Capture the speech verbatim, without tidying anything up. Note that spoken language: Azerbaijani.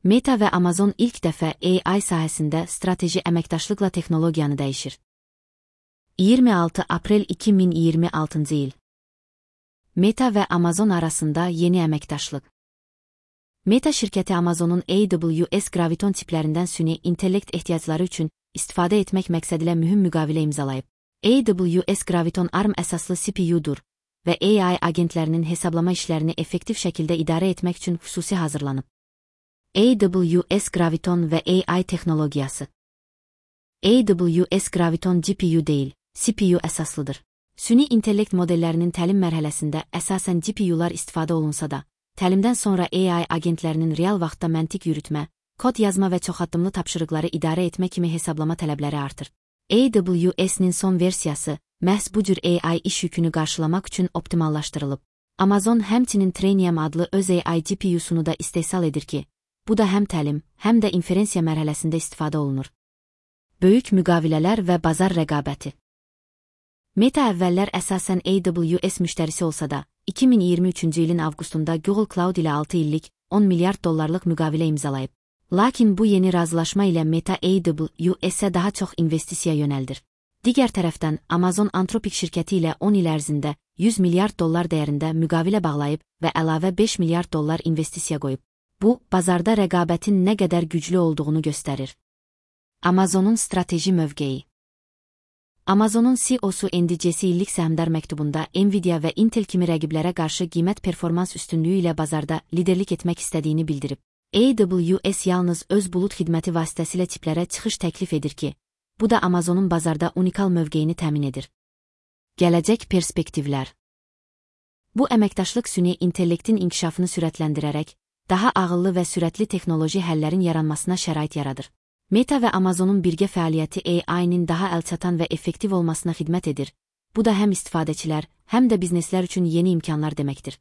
Meta və Amazon ilk dəfə A I sahəsində strateji əməkdaşlıqla texnologiyanı dəyişir. iyirmi altı aprel iki min iyirmi altıncı il. Meta və Amazon arasında yeni əməkdaşlıq. Meta şirkəti Amazonun A W S Graviton tiplərindən süni intellekt ehtiyacları üçün istifadə etmək məqsədilə mühüm müqavilə imzalayıb. A W S Graviton ARM əsaslı C P U'dur və A I agentlərinin hesablama işlərini effektiv şəkildə idarə etmək üçün xüsusi hazırlanıb. A W S Graviton və A I texnologiyası. A W S Graviton G P U deyil, C P U əsaslıdır. Süni intellekt modellərinin təlim mərhələsində əsasən G P U'lar istifadə olunsa da, təlimdən sonra A I agentlərinin real vaxtda məntiq yürütmə, kod yazma və çoxaddımlı tapşırıqları idarə etmə kimi hesablama tələbləri artır. A W S'nin son versiyası, məhz bu cür A I iş yükünü qarşılamaq üçün optimallaşdırılıb. Amazon həmçinin Trainium adlı öz A I G P U'sunu da istehsal edir ki, bu da həm təlim, həm də inferensiya mərhələsində istifadə olunur. Böyük müqavilələr və bazar rəqabəti. Meta əvvəllər əsasən A W S müştərisi olsa da, iki min iyirmi üçüncü ilin avqustunda Google Cloud ilə altı illik on milyard dollarlıq müqavilə imzalayıb. Lakin bu yeni razılaşma ilə Meta A W S'ə daha çox investisiya yönəldir. Digər tərəfdən, Amazon Anthropic şirkəti ilə on il ərzində yüz milyard dollar dəyərində müqavilə bağlayıb və əlavə beş milyard dollar investisiya qoyub. Bu, bazarda rəqabətin nə qədər güclü olduğunu göstərir. Amazonun strateji mövqeyi. Amazonun C E O'su Andy Jassy illik səhmdar məktubunda Nvidia və Intel kimi rəqiblərə qarşı qiymət performans üstünlüyü ilə bazarda liderlik etmək istədiyini bildirib. A W S yalnız öz bulut xidməti vasitəsilə çiplərə çıxış təklif edir ki, bu da Amazonun bazarda unikal mövqeyini təmin edir. Gələcək perspektivlər. Bu əməkdaşlıq süni intellektin inkişafını sürətləndirərək, daha ağıllı və sürətli texnoloji həllərin yaranmasına şərait yaradır. Meta və Amazonun birgə fəaliyyəti A I-nin daha əlçatan və effektiv olmasına xidmət edir. Bu da həm istifadəçilər, həm də bizneslər üçün yeni imkanlar deməkdir.